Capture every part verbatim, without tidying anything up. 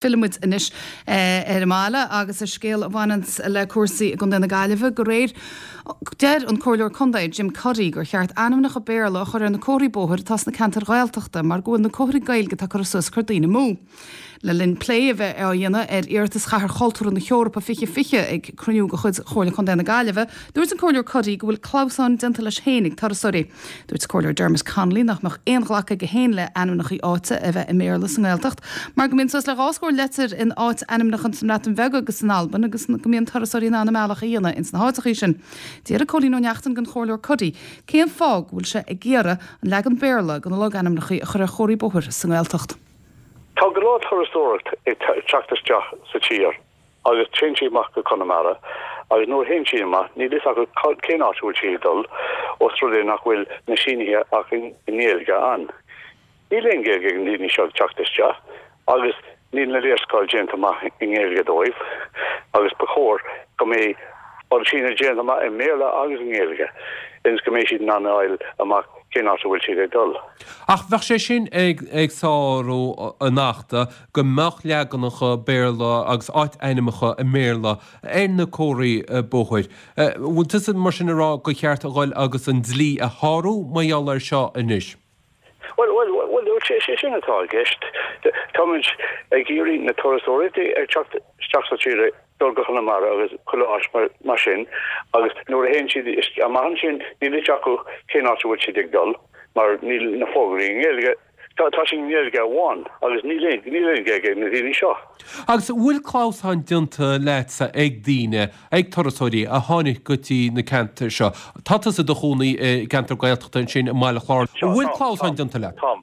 Fillfimid anois ar an mbaile agus ar scéal a bhaineann le cúrsaí i gContae na Gaillimhe go réir deir an Comhairleoir Contae Jim Cuddy gur cheart ainmneacha Béarla a chur ar na comharthaí bóthair atá sna ceantair Ghaeltachta mar go bhfuil na comharthaí Gaeilge atá curtha suas ag cur daoine amú. Le linn plé a bheith á dhéanamh ar iarratas Chathair Chultúrtha na hEorpa fiche fiche ag cruinniú de chuid Chomhairle Contae na Gaillimhe, dúirt an Comhairleoir Cuddy go bhfuil clamhsán déanta leis féin ag turasóirí. Dúirt Comhairleoir Dermot Connolly nach mbeadh aon ghlacadh aige féin le ainmneacha áite a bheith i mBéarla sa nGaeltacht, mar go mbíonn suas le dhá scór leitir in áit-ainmneacha sa mBreatain Bheag agus san Albain agus go mbíonn turasóirí in ann a mbealach a dhéanamh ins na háiteacha sin. D'fhiafraigh Cóilín Ó Neachtain den Chomhairleoir Cuddy cén fáth go bhfuil sé ag iarraidh an leagan Béarla de na logainmneacha a chur ar chomharthaí bóthair sa nGaeltacht. Tá go leor turasóireacht ag teacht isteach sa tír agus téann siad amach go Conamara agus nuair a théann siad amach níl fhios acu cén áit a bhfuil siad ag dul os rud é nach bhfuil na sínithe ach i nGaeilge ann. Níl aon Ghaeilge ag na daoine seo ag teacht isteach agus níl na léarscáil déanta amach i nGaeilge dóibh agus ba chóir go mbeidh an síneadh déanta amach i mBéarla agus i nGaeilge ionas go mbeidh siad in ann a fháil amach cén áit a bhfuil siad ag dul. Ach bheadh sé sin ag ag sárú an achta go mbeadh leaganacha Béarla agus áit-ainmneacha i mBéarla ar na comharthaí bóthair. Bhfuil tusa mar sin ag rá gur cheart a dhul agus an dlí a shárú mar gheall air seo anois? Bhuel, bhuel, bhuel, sé sé sin atá i gceist. Táimid ag iarraidh na turasóirí ag teacht isteach sa tír dul go Conamara agus chuile áit mar sin agus nuair a théann siad amach ansin níl fhios acu cén áit a bhfuil siad ag dul mar níl na fógraí i nGaeilge. Tá tá siad i nGaeilge amháin agus níl aon níl aon Ghaeilge ag na daoine seo. Agus bhfuil clamhsán déanta leatsa ag daoine, ag turasóirí a tháinig go dtí na ceantair seo? Tá tusa i do chónaí i gceantar Gaeltachta ansin i mBaile Chláir. Seo, Bhfuil táim, clamhsán táim, déanta leat? táim.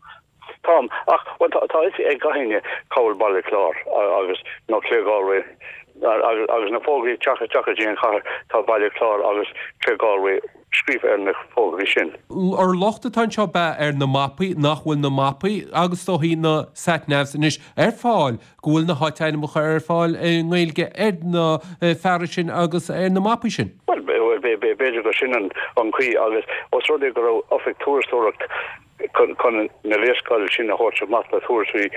Táim, ach, bhuel, tá tá fhios ag gach éinne cá bhfuil Baile Chláir agus nó Claregalway agus agus na fógraí ag teacht isteach go dtí an chathair, tá Baile Chláir agus Claregalway scríofa ar na fógraí sin. Ar locht atá anseo ab ea ar na mapaí, nach bhfuil na mapaí agus is dóichí na sat-navs anois ar fáil, go bhfuil na háit-ainmneacha ar fáil i nGaeilge ar na fearais sin agus ar na mapaí sin? Bhuel, b'fhéidir gur sin an chaoi agus os rud é go raibh oifig turasóireacht chun na léarscáil sin a thabhairt amach do thurasóirí,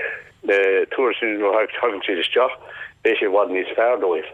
turasóirí nuair a thagann siad isteach, beidh sé i bhfad níos fearr dóibh.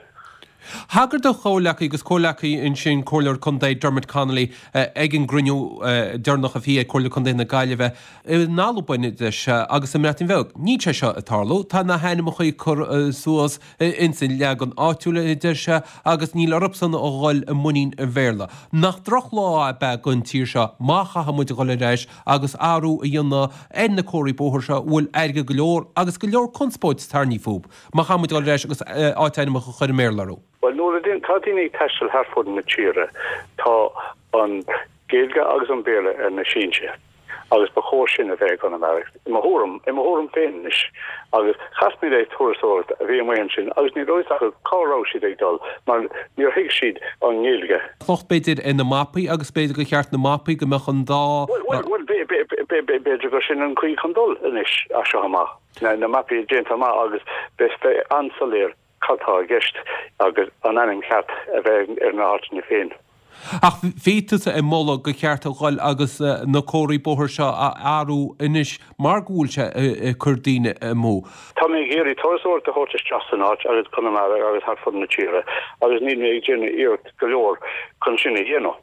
Thagair do chomhleacaí agus comhleacaí ansin, Comhairleoir Contae Dermot Connolly, ag an gcruinniú deireanach a bhí ag Comhairle Contae na Gaillimhe in Albain, deir sé, agus sa mBreatain Bheag. Níl sé seo ag tarlú. Tá na hainmneacha curtha suas ins an leagan áitiúil, a deir sé, agus níl orthusan a dhul i muinín an Bhéarla. Nach drochlá ab ea don tír seo má chaithfidh muid a dhul ar ais agus athrú a dhéanamh ar na comharthaí bóthair seo a bhfuil airgead go leor agus go leor conspóid tarraingthe fúthu, má chaithfidh muid a dhul ar ais agus áit-ainmneacha a chur i mBéarla orthu. Bhuel, nuair a tá daoine ag taisteal thar fud na tíre, tá an Ghaeilge agus an Béarla ar na sínte. Agus ba chóir sin a bheith i gConamara, i mo thuairim, i mo thuairim féin anois. Agus chas mé le turasóireacht a bhí amuigh ansin agus ní raibh fhios acu cá raibh siad ag dul mar níor thuig siad an nGaeilge. Locht b'fhéidir ar na mapaí agus b'fhéidir gur cheart na mapaí go mbeadh an dá. Bhuel, bhuel, bhuel, b'fhéidir gur sin an chaoi chun dul anois as seo amach. Na mapaí déanta amach agus beidh an-soiléir. cad tá i gceist agus an ainm ceart a bheith ar na háiteanna féin. Ach bhí tusa ag moladh gur cheart a dhul agus na comharthaí bóthair seo a athrú anois mar go bhfuil sé ag cur daoine amú. Tá mé ag iarraidh turasóireacht a thabhairt isteach san áit agus Conamara agus thart fud na tíre agus níl mé ag déanamh iarracht go leor chun sin a dhéanamh.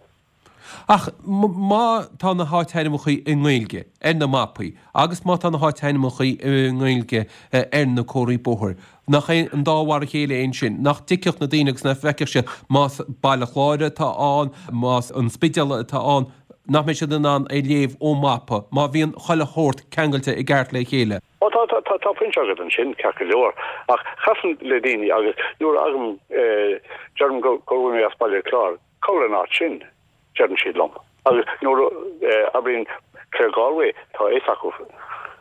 Ach má tá na háitainmneacha i nGaeilge ar na mapaí agus má tá na háitainmneacha i nGaeilge ar na comharthaí bóthair, nach é an dá mhar a chéile é ansin? Nach dtuigfeadh na daoine agus nach bhfeicfeadh siad más Baile Chláir atá ann, más an Spidéal atá ann, nach mbeidh siad in ann é léamh ón mapa má bhíonn chuile shórt ceangailte i gceart le chéile? Ó tá, tá, tá, tá pointe agat ansin, ceart go leor. Ach chasaim le daoine agus nuair a fhagaim, deirim go bhfuil mé as Baile Chláir, Cá bhfuil an áit sin? deireann siad liom. Agus nuair a abraím Claregalway, tá a fhios acu.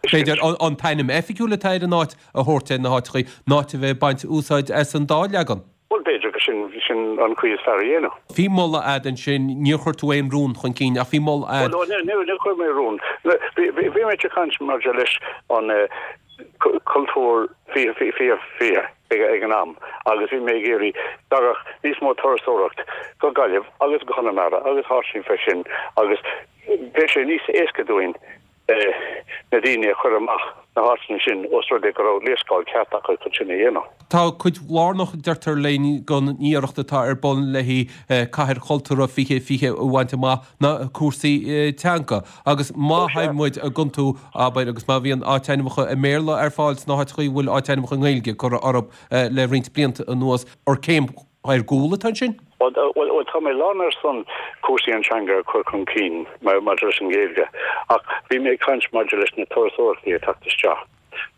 B'fhéidir an t-ainm oifigiúil atá ar an áit a thabhairt ar na háiteachaí, ná a bheith ag baint úsáid as an dá leagan. Bhuel, b'fhéidir gur sin, sin an chaoi is fearr a dhéanamh. Bhí moladh a'd ansin, níor chuir tú aon rún chun cinn ach bhí moladh a'd. Bhuel, níor chuir mé rún. Bhí, bhí mé ag caint maidir leis an Cultúr fiche fiche fiche ag an am agus bhí mé ag iarraidh dtagadh níos mó turasóireacht go Gaillimh agus go Conamara agus áiteanna fé sin agus bheadh sé níos éasca dúinn na daoine a chur amach na háiteanna sin os rud é go raibh léarscáil ceart acu chun sin a dhéanamh. Tá cuid lárnach deirtear linn den iarracht atá ar bun le Cathair Chultúrtha fiche fiche a bhaint amach ná cúrsaí teanga agus má théann muid ag iontú abair agus má bhíonn áitainmneacha i mBéarla ar fáil sna háiteacha a bhfuil áitainmneacha i nGaeilge curtha orthu le roinnt blianta anuas ar céim ar gcúl atá ansin? Bhuel, tá mé lán ar son cúrsaí an teanga a chur chun cinn maidir leis an Ghaeilge, ach bhí mé ag caint maidir leis na turasóirí ag teacht isteach.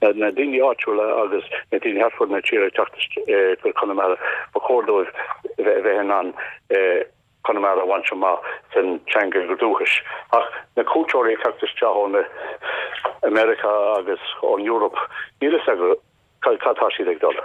Na daoine áitiúla agus na daoine thart fud na tíre ag teacht go Conamara, ba chóir dóibh bheith in ann Conamara a bhaint amach san teanga dúchais. Ach na cuairteoirí ag teacht isteach ó America agus ón Europe, níl a fhios acu cad tá siad ag dul.